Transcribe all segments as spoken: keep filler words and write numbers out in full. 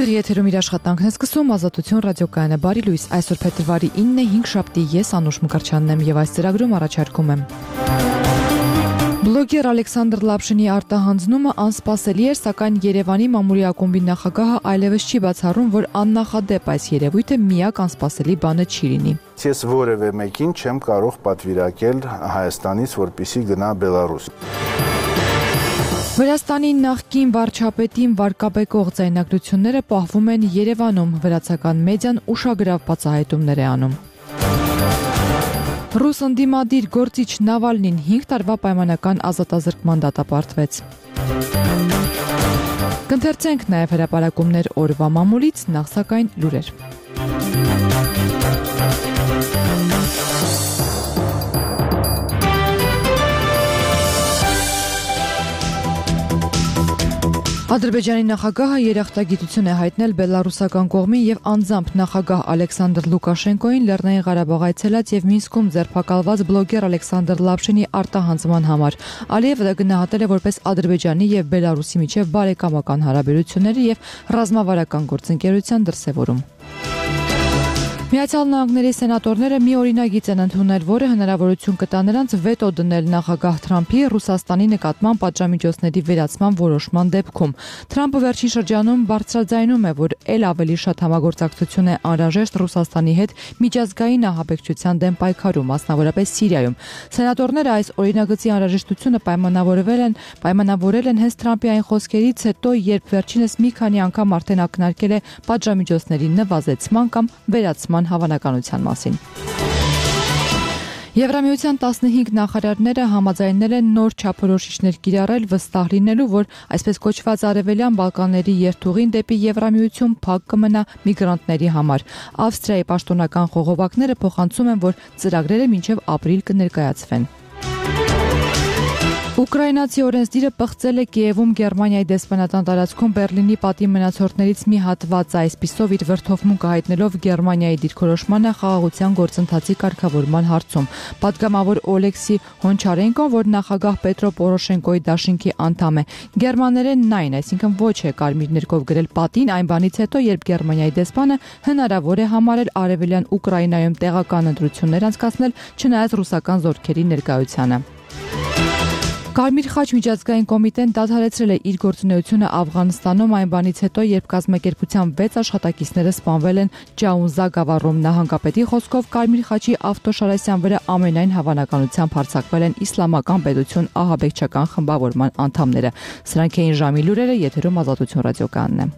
Բարև եթերում իր աշխատանքն է սկսում Ազատություն ռադիոկայանը բարի լույս այսօր փետրվարի ինը հինգշաբթի ես Անուշ Մկրտչյանն եմ եւ այս ծրագրում առաջարկում եմ Բլոգեր Ալեքսանդր Լապշինի արտահանձնումը անսպասելի էր, սակայն Երևանի մամուլի ակումբի նախագահը այլևս չի բացառում, որ աննախադեպ այս երևույթը միակ անսպասելի բանը չի լինի։ Ես որևէ մեկին չեմ կարող պատվիրակել Հայաստանից, որպեսզի գնա Բելարուս։ Վրաստանի նախկին վարչապետին վարկաբեկող ձայնագրությունները պահվում են Երևանում, վրացական մեդիան ուշագրավ բացահայտումներ է անում։ Ռուս ընդդիմադիր գործիչ Նավալնին հինգ տարվա պայմանական ազատազրկման դատապարտվեց։ Կընթերցենք նաև հրապարակումներ օրվա մամուլից, նախ սակայն լուրեր։ Ադրբեջանի նախագահը երախտագիտություն է հայտնել բելարուսական կողմին եւ անձամբ նախագահ Ալեքսանդր Լուկաշենկոին Լեռնային Ղարաբաղ այցելած եւ Մինսկում ձերբակալված բլոգեր Ալեքսանդր Լապշինի արտահանձնման համար։ Ալիևը դա գնահատել է որպես Ադրբեջանի եւ Բելարուսի միջև բարեկամական հարաբերությունների եւ ռազմավարական գործընկերության դրսեւորում։ Միացյալ Նահանգների սենատորները մի օրինագիծ են ընդունել, որը հնարավորություն կտա նրանց վետո դնել նախագահ Թրամփի Ռուսաստանի նկատմամբ պատժամիջոցների վերացման որոշման դեպքում։ Թրամփը վերջին շրջանում բարձրաձայնում է, որ ել ավելի շատ համագործակցություն է անհրաժեշտ Ռուսաստանի հետ միջազգային ահաբեկչության դեմ պայքարում, մասնավորապես Սիրիայում։ Սենատորները այս օրինագծի անհրաժեշտությունը պայմանավորվել են, պայմանավորել են հենց Թրամփի այն խոսքերից հետո, երբ վերջինս մի քանի անգամ արդեն ակնարկել է պատժամիջոցների նվազեցման կամ վերացման հավանականության մասին։ Եվրամիության տասնհինգ նախարարները համաձայնել են նոր չափորոշիչներ կիրառել վստահ լինելու, որ այսպես կոչված Արևելյան Բալկանների երթուղին դեպի Եվրամիություն փակ կմնա միգրանտների համար։ Ավստրիայի պաշտոնական խողովակները փոխանցում են, որ ծրագրերը մինչև ապրիլ կներկայացվեն։ Ուկրաինացի օրենսդիրը պղծել է Կիևում Գերմանիայի դեսպանատան տարածքում Բերլինի պատի մնացորդներից մի հատված, այսպիսով իր վրդովմունքը հայտնելով Գերմանիայի դիրքորոշմանը խաղաղության գործընթացի կարգավորման հարցում։ Պատգամավոր Օլեքսի Հոնչարենկոն, որ նախագահ Պետրո Պորոշենկոյի դաշինքի անդամ է, գերմաներենն այն, այսինքն ոչ է կարմիր ներկով գրել պատին այն բանից հետո, երբ Գերմանիայի դեսպանը հնարավոր է համարել արևելյան Ուկրաինայում տեղական ընտրություններ անցկացնել, չնայած ռուսական զորքերի ներկայությանը։ Կարմիր խաչ միջազգային կոմիտեն դադարեցրել է իր գործունեությունը Աֆղանստանում այն բանից հետո, երբ կազմակերպության վեց աշխատակիցները սպանվել են Ջաունզա գավառում։ Նահանգապետի խոսքով Կարմիր խաչի ավտոշարասյան վրա ամենայն հավանականությամբ հարձակվել են իսլամական պետություն ահաբեկչական խմբավորման անդամները։ Սրանք էին ժամի լուրերը, եթերում Ազատություն ռադիոկայանն է։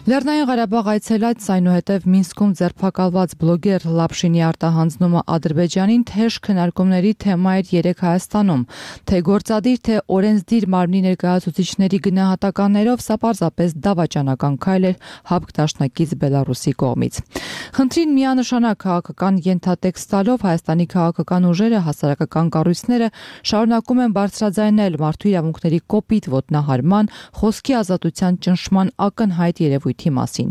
Լեռնային Ղարաբաղ այցելած, այնուհետև Մինսկում ձերբակալված բլոգեր Լապշինի արտահանձնումը Ադրբեջանին թեժ քննարկումների թեմա էր երեք Հայաստանում, թե գործադիր, թե օրենսդիր մարմնի ներկայացուցիչների գնահատականներով սա պարզապես դավաճանական քայլ էր ՀԱՊԿ դաշնակից Բելարուսի կողմից։ Խնդրին միանշանակ քաղաքական ենթատեքստ տալով Հայաստանի քաղաքական ուժերը, հասարակական կառույցները շարունակում են բարձրաձայնել մարդու իրավունքների կոպիտ ոտնահարման, խոսքի ազատության ճնշման ակնհայտ երևույթ մասին։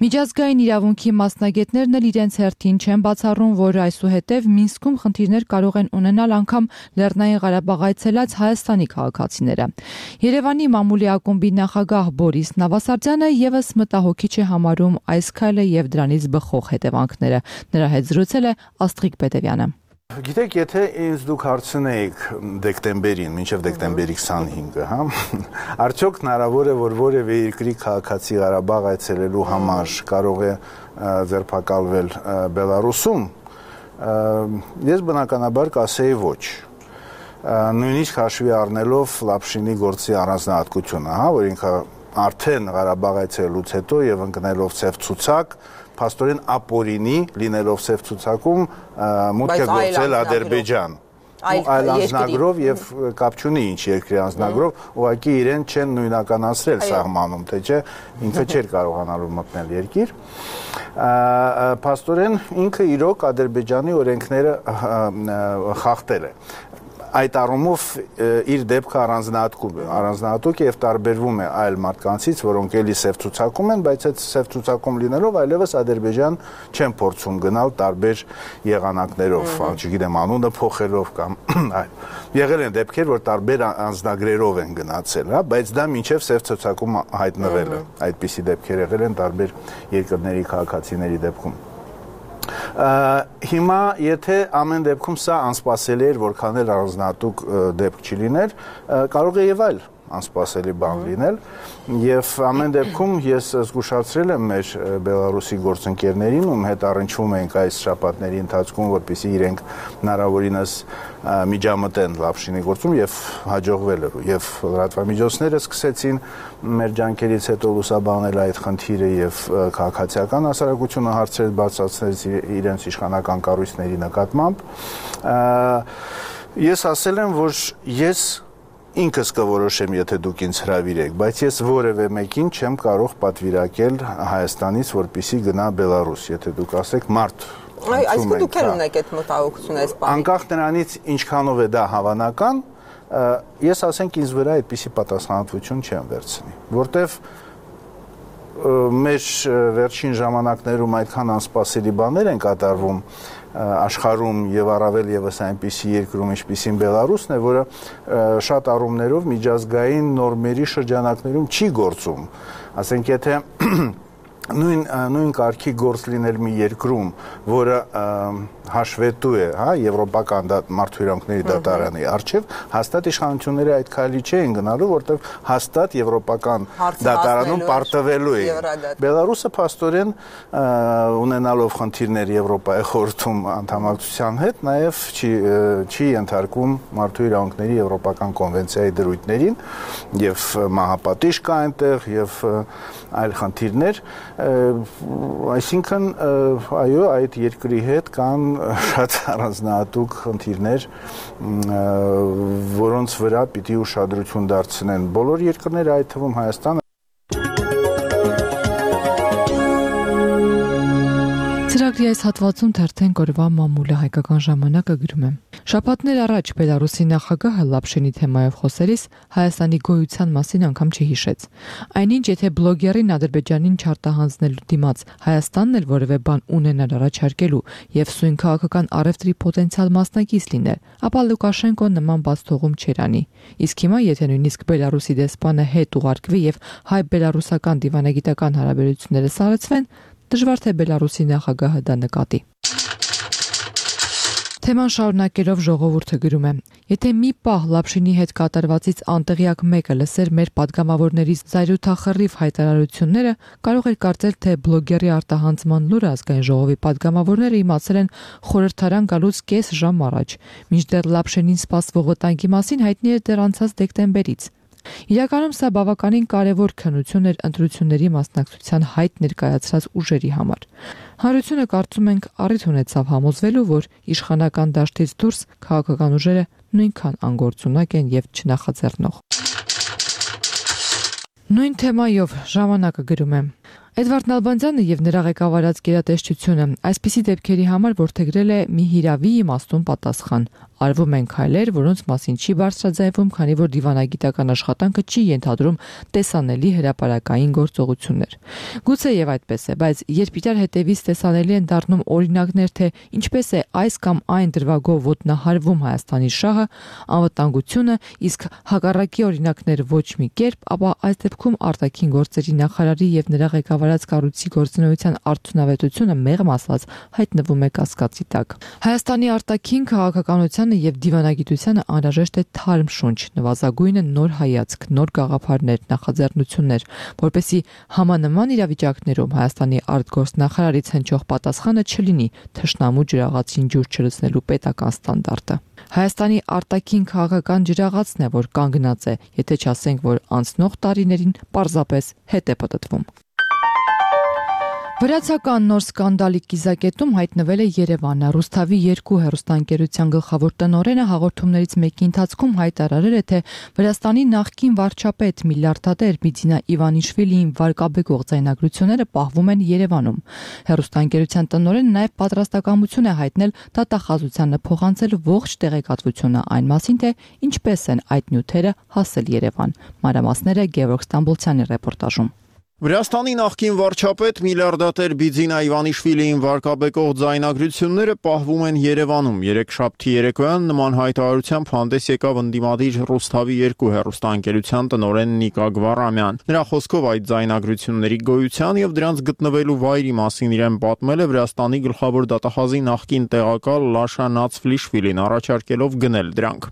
Միջազգային իրավունքի մասնագետներն էլ իրենց հերթին չեն բացառում, որ այսուհետև Մինսկում խնդիրներ կարող են ունենալ անգամ Լեռնային Ղարաբաղ այցելած Հայաստանի քաղաքացիները։ Երևանի մամուլի ակումբի նախագահ Բորիս Նավասարդյանը եւս մտահոգիչ է համարում այս քայլը եւ դրանից բխող հետևանքները։ Նրա հետ զրուցել է Աստղիկ Պետևյանը։ Գիտեք, եթե ինձ դուք հարցնեիք դեկտեմբերին, մինչև դեկտեմբերի քսանհինգը, հա, արդյոք հնարավոր է, որ որևէ երկրի քաղաքացի Ղարաբաղ այցելելու համար կարող է ձերբակալվել Բելարուսում, ես բնականաբար կասեի ոչ։ Նույնիսկ հաշվի առնելով Լապշինի գործի առանձնահատկությունը, հա, որ ինքը արդեն Ղարաբաղ այցելելուց հետո եւ ընկնելով ծև ցուցակ փաստորեն ապօրինի լինելով ծև ցուցակում մուտք է գործել Ադրբեջան։ Այլ անձնագրով եւ կապ չունի ինչ երկրի անձնագրով, ուղղակի իրեն չեն նույնականացրել սահմանում, թե չէ ինքը չէր կարողանալու մտնել երկիր։ Փաստորեն ինքը իրոք Ադրբեջանի օրենքները խախտել է։ այդ առումով իր դեպքը առանձնահատուկ է, առանձնահատուկ է եւ տարբերվում է այլ մարդկանցից, որոնք էլի սև ցուցակում են, բայց այդ սև ցուցակում լինելով այլևս Ադրբեջան չեն փորձում գնալ տարբեր եղանակներով, չգիտեմ, անունը փոխելով կամ այլ։ Եղել են դեպքեր, որ տարբեր անձնագրերով են գնացել, հա, բայց դա մինչև սև ցուցակում հայտնվել է։ Այդպիսի դեպքեր եղել են տարբեր երկրների քաղաքացիների դեպքում։ Հիմա եթե ամեն դեպքում սա անսպասելի էր, որքան էլ առանձնահատուկ դեպք չլիներ, կարող է եւ այլ անսպասելի բան լինել եւ ամեն դեպքում ես զգուշացրել եմ մեր Բելարուսի գործընկերներին, ում հետ առնչվում ենք այս շաբաթների ընթացքում, որպեսզի իրենք հնարավորինս միջամտեն Լապշինի գործում եւ հաջողվել է եւ լրատվամիջոցները սկսեցին մեր ջանքերից հետո լուսաբանել այդ խնդիրը եւ քաղաքացիական հասարակությունը հարցեր բացացրեց իրենց իշխանական կառույցների նկատմամբ։ Ես ասել եմ, որ ես ինքս կորոշեմ, եթե դուք ինձ հրավիրեք, բայց ես որևէ մեկին չեմ կարող պատվիրակել Հայաստանից, որպեսզի գնա Բելարուս, եթե դուք ասեք մարդ։ Այսինքն դուք եք ունեք այդ մտահոգությունը այս բանի։ Անկախ նրանից ինչքանով է դա հավանական, ես ասենք ինձ վրա այդպիսի պատասխանատվություն չեմ վերցնի, որտեվ մեր վերջին ժամանակներում այդքան անսպասելի բաներ են կատարվում աշխարհում եւ առավել եւս այնպիսի երկրում, ինչպիսին Բելարուսն է, որը շատ առումներով միջազգային նորմերի շրջանակներում չի գործում։ Ասենք եթե նույն նույն կարգի գործ լինել մի երկրում, որը հաշվետու է, հա, եվրոպական մարդու իրավունքների դատարանի առջև, հաստատ իշխանությունները այդ քայլի չեն գնալու, որտեղ հաստատ եվրոպական դատարանում պարտվելու է։ Բելարուսը փաստորեն ունենալով խնդիրներ Եվրոպայի խորհրդում անդամակցության հետ, նաև չի չի ենթարկում մարդու իրավունքների եվրոպական կոնվենցիայի դրույթներին եւ մահապատիժ կա այնտեղ եւ այլ խնդիրներ, այսինքն այո, այդ երկրի հետ կան շատ առանձնահատուկ խնդիրներ, որոնց վրա պիտի ուշադրություն դարձնեն բոլոր երկրները, այդ թվում Հայաստանը։ Ծրագրի այս հատվածում թերթեն կորվա մամուլը հայկական ժամանակը գրում է. Շաբաթներ առաջ Բելարուսի նախագահը Լապշինի թեմայով խոսելիս Հայաստանի գոյության մասին անգամ չհիշեց։ Այնինչ, եթե բլոգերին Ադրբեջանին չարտահանձնելու դիմաց Հայաստանն էլ որևէ բան ունենար առաջարկելու եւ սույն քաղաքական առևտրի պոտենցիալ մասնակից լիներ, ապա Լուկաշենկոն նման բաց թողում չէր անի։ Իսկ հիմա, եթե նույնիսկ Բելարուսի դեսպանը հետ ուղարկվի եւ հայ-բելարուսական դիվանագիտական հարաբերությունները սառեցվեն, դժվար թե Բելարուսի նախագահը դա նկատի։ Թեման շարունակելով ժողովուրդը գրում է. Եթե մի պահ Լապշինի հետ կատարվածից անտեղյակ մեկը լսեր մեր падգամավորների զայրույթախռիվ հայտարարությունները, կարող էր կարծել, թե բլոգերի արտահանձնման լուրը ազգային ժողովի падգամավորները իմացել են խորհրդարան գալուց կես ժամ առաջ, մինչդեռ Լապշինին սպասվող վտանգի մասին հայտնի էր դեռ անցած դեկտեմբերից։ Իրականում սա բավականին կարևոր քննություն էր ընտրությունների մասնակցության հայտ ներկայացրած ուժերի համար։ Հանրությունը կարծում ենք առիթ ունեցավ համոզվելու, որ իշխանական դաշտից դուրս քաղաքական ուժերը նույնքան անգործունակ են եւ չնախաձեռնող։ Նույն թեմայով ժամանակը գրում է. Էդվարդ Նալբանդյանը եւ նրա ղեկավարած գերատեսչությունը այսպիսի դեպքերի համար որդեգրել է մի հիրավի իմաստուն պատասխան։ Արվում են քայլեր, որոնց մասին չի բարձրաձայնվում, քանի որ դիվանագիտական աշխատանքը չի ենթադրում տեսանելի հրապարակային գործողություններ։ Գուցե եւ այդպես է, բայց երբ իրար հետևից տեսանելի են դառնում օրինակներ, թե ինչպես է այս կամ այն դրվագով ոտնահարվում Հայաստանի շահը, անվտանգությունը, իսկ հակառակի օրինակներ ոչ մի կերպ, ապա այս դեպքում արտաքին գործերի նախարարի եւ նրա ղեկավարած կառույցի գործունեության արդյունավետությունը մեղմ ասած հայտնվում է կասկածի տակ։ Հայաստանի արտաքին քաղաքականության եւ դիվանագիտությանը անհրաժեշտ է թարմ շունչ, նվազագույնը նոր հայացք, նոր գաղափարներ, նախաձեռնություններ, որպեսզի համանման իրավիճակներում Հայաստանի արտգործնախարարից հնչող պատասխանը չլինի թշնամու ջրաղացին ջուր չլցնելու պետական ստանդարտը։ Հայաստանի արտաքին քաղաքական ջրաղացն է, որ կանգնած է, եթե չասենք, որ անցնող տարիներին պարզապես հետ է պտտվում։ Վրացական նոր սկանդալի կիզակետում հայտնվել է Երևանը։ Ռուսթավի երկու հեռուստաընկերության գլխավոր տնօրենը հաղորդումներից մեկի ընթացքում հայտարարել է, թե Վրաստանի նախկին վարչապետ միլիարդատեր Բիձինա Իվանիշվիլիին վարկաբեկող ձայնագրությունները պահվում են Երևանում։ Հեռուստաընկերության տնօրենը նաև պատրաստակամություն է հայտնել դատախազությանը փոխանցել ողջ տեղեկատվությունը այն մասին, թե ինչպես են այդ նյութերը հասել Երևան։ Մանրամասները Գևորգ Ստամբոլցյանի ռեպորտաժում։ Վրաստանի նախկին վարչապետ միլիարդատեր Բիձինա Իվանիշվիլիին վարկաբեկող ձայնագրությունները պահվում են Երևանում։ Երեքշաբթի երեկոյան նման հայտարարությամբ հանդես եկավ ընդդիմադիր Ռուսթավի երկու հեռուստաընկերության տնօրեն Նիկա Գվարամյան։ Նրա խոսքով այդ ձայնագրությունների գոյության եւ դրանց գտնվելու վայրի մասին իրեն պատմել է Վրաստանի գլխավոր դատախազի նախկին տեղակալ Լաշա Նացվլիշվիլին, առաջարկելով գնել դրանք։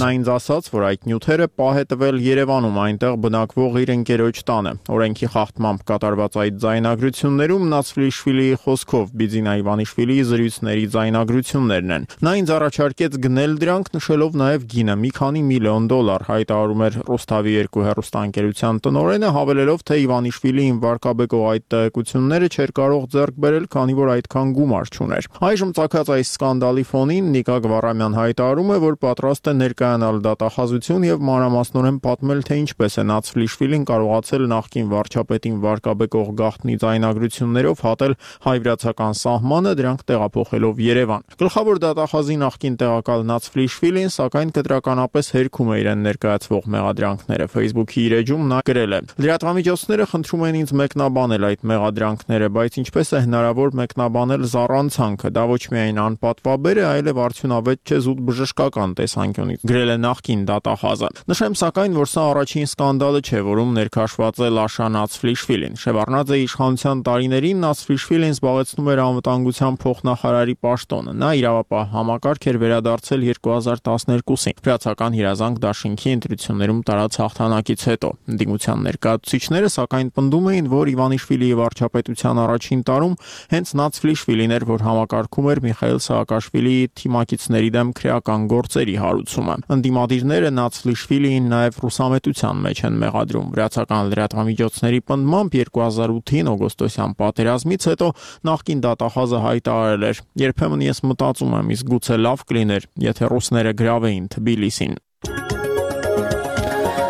Նա ինձ ասաց, որ այդ նյութերը պահ է տվել Երևանում, այնտեղ բնակվող իր ընկերոջ տանը։ Օրենքի խախտմամբ կատարված այդ ձայնագրություններում Նացվլիշվիլիի խոսքով Բիձինա Իվանիշվիլիի զրույցների ձայնագրություններն են։ Նա ինձ առաջարկեց գնել դրանք, նշելով նաև գինը՝ մի քանի միլիոն դոլար, հայտարարում էր Ռուսթավի երկու հեռուստաընկերության տնօրենը, հավելելով, թե Իվանիշվիլիին վարկաբեկող այդ տեղեկությունները չէր կարող ձեռք բերել, քանի որ այդքան գումար չուներ։ Այժմ ծագած այս սկանդալի ֆոնին Նիկա Գվարամյան հայտարարում է, որ պատրաստ է ներկայանալ դատախազություն եւ մանրամասնորեն պատմել, թե ինչպես է Նացվլիշվիլին կարողացել նախկին վարչապետին վարկաբեկող գաղտնի ձայնագրություններով հատել հայ-վրացական սահմանը, դրանք տեղափոխելով Երևան։ Գլխավոր դատախազի նախկին տեղակալ Նացվլիշվիլին, սակայն կտրականապես հերքում է իրեն ներկայացվող մեղադրանքները։ Facebook-ի իր էջում նա գրել է. «Լրատվամիջոցները խնդրում են ինձ մեկնաբանել այդ մեղադրանքները, բայց ինչպես է հնարավոր մեկնաբանել զառանցանքը, դա ոչ միայն անպատվաբեր է, այլև արդյունավետ չէ զուտ բժշկական տեսանկյունից», գրել է նախկին դատախազը։ Նշեմ սակայն, որ սա առաջին սկանդալը չէ, որում ներքաշված է Լաշա Նացվլիշվիլին։ Շևարդնաձե իշխանության տարիներին Նացվլիշվիլին զբաղեցնում էր անվտանգության փոխնախարարի պաշտոնը։ Նա իրավապահ համակարգ էր վերադարձել երկու հազար տասներկուսին վրացական հիրազանք դաշինքի ընտրություններում տարած հաղթանակից հետո։ Ընդդիմության ներկայացուցիչները սակայն պնդում էին, որ Իվանիշվիլիի վարչապետության առաջին տարում հենց Նացվլիշվիլին էր, որ համակարգում էր Միխայիլ Սաակաշվիլիի թիմակիցների դեմ քրեական գործերի հարուցումը։ Ընդդիմադիրները Նացվլիշվիլիին նաև ռուսամետության մեջ են մեղադրում։ Վրացական լրատվամիջոցների պնդմամբ երկու հազար ութին օգոստոսյան պատերազմից հետո նախկին դատախազը հայտարարել էր. «Երբեմն ես մտածում եմ, իսկ գուցե լավ կլիներ, եթե ռուսները գրավեին Թբիլիսին»։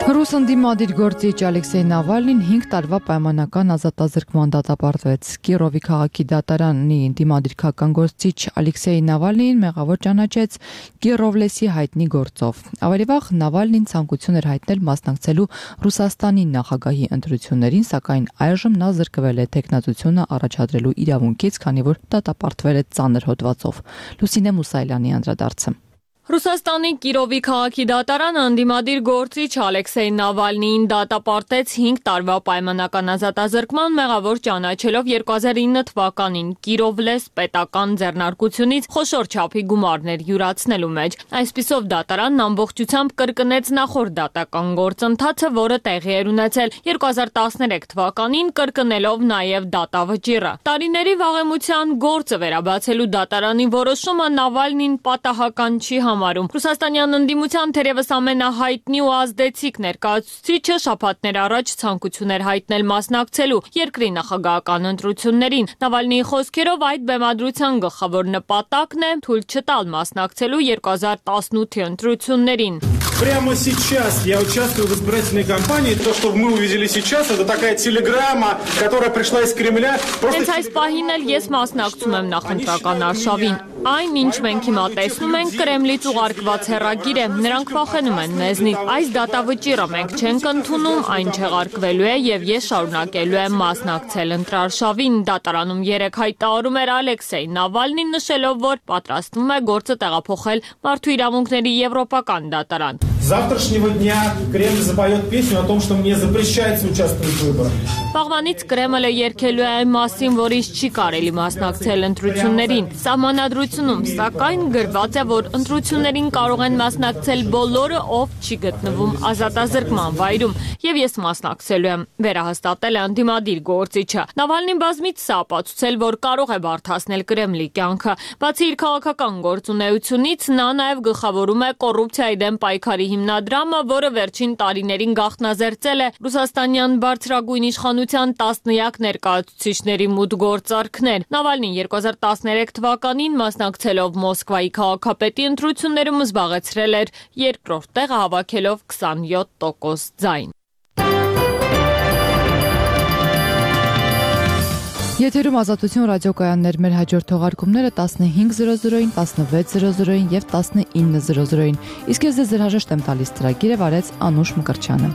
Ռուս ընդդիմադիր գործիչ Ալեքսեյ Նավալնին հինգ տարվա պայմանական ազատազրկման դատապարտվեց։ Կիրովի քաղաքի դատարանի ընդդիմադիր քաղաքական գործիչ Ալեքսեյ Նավալնին մեղավոր ճանաչեց Կիրովլեսի հայտնի գործով։ Ավելի վաղ Նավալնին ցանկություն էր հայտնել մասնակցելու Ռուսաստանի նախագահի ընտրություններին, սակայն այժմ նա զրկվել է թեկնածությունը առաջադրելու իրավունքից, քանի որ դատապարտվել է ծանր հոդվածով։ Լուսինե Մուսայելյանի անդրադարձը։ Ռուսաստանի Կիրովի քաղաքի դատարանը ընդդիմադիր գործիչ Ալեքսեյ Նավալնիին դատապարտեց հինգ տարվա պայմանական ազատազրկման, մեղավոր ճանաչելով երկու հազար ինը թվականին Կիրովլես պետական ձեռնարկությունից խոշոր չափի գումարներ յուրացնելու մեջ։ Այսպիսով դատարանն ամբողջությամբ կրկնեց նախորդ դատական գործընթացը, որը տեղի էր ունեցել երկու հազար տասներեք թվականին, կրկնելով նաև դատավճիռը։ Տարիների վաղեմության գործը վերաբացելու դատարանի որոշումը Նավալնին պատահական չի համարում։ Ռուսաստանյան ընդդիմության թերևս ամենահայտնի ու ազդեցիկ ներկայացուցիչը շաբաթներ առաջ ցանկություն էր հայտնել մասնակցելու երկրի նախագահական ընտրություններին։ Նավալնիի խոսքերով այդ բեմադրության գլխավոր նպատակն է թույլ չտալ մասնակցելու երկու հազար տասնութի ընտրություններին։ Прямо сейчас я участвую в избирательной кампании. То, что мы увидели сейчас, это такая телеграмма, которая пришла из Кремля. Հենց այս պահին էլ ես մասնակցում եմ նախընտրական արշավին։ Այն, ինչ մենք հիմա տեսնում ենք, Կրեմլից ուղարկված հեռագիր է, նրանք վախենում են մեզնից։ Այս դատավճիռը մենք չենք ընդունում, այն չեղարկվելու է եւ ես շարունակելու եմ մասնակցել ընտրարշավին։ Դատարանում երեք հայտարարում էր Ալեքսեյ Նավալնին, նշելով, որ պատրաստվում է գործը տեղափոխել Մարդու իրավունքների եվրոպական դատարան։ Завтрашнего дня Кремль запоет песню о том, что мне запрещается участвовать в выборах. Վաղվանից Կրեմլը երգելու է այն մասին, որ ինձ չի կարելի մասնակցել ընտրություններին։ Սահմանադրությունում սակայն գրված է, որ ընտրություններին կարող են մասնակցել բոլորը, ով չի գտնվում ազատազրկման վայրում, եւ ես մասնակցելու եմ, վերահաստատել է ընդդիմադիր գործիչը։ Նավալնին բազմից սա ապացուցել, որ կարող է բարդացնել Կրեմլի կյանքը։ Բացի իր քաղաքական գործունեությունից, նա նաև գլխավորում է կոռուպցիայի դեմ պայքարի հիմնադրամը, որը վերջին տարիներին գաղտնազերծել է ռուսաստանյան բարձրագույն իշխանության տասնյակ ներկայացուցիչների մուտք գործարքներ։ Նավալնին երկու հազար տասներեք թվականին մասնակցելով Մոսկվայի քաղաքապետի ընտրություններում զբաղեցրել էր երկրորդ տեղը, հավաքելով քսանյոթ տոկոս ձայն։ Եթերում Ազատություն ռադիոկայաններ, մեր հաջորդ թողարկումները տասնհինգ զրո զրոին, տասնվեց զրո զրոին եւ տասնինը զրո զրոին։ Իսկ ես ձեզ հրաժեշտ եմ տալիս ծրագիրը վարեց Անուշ Մկրտչյանը։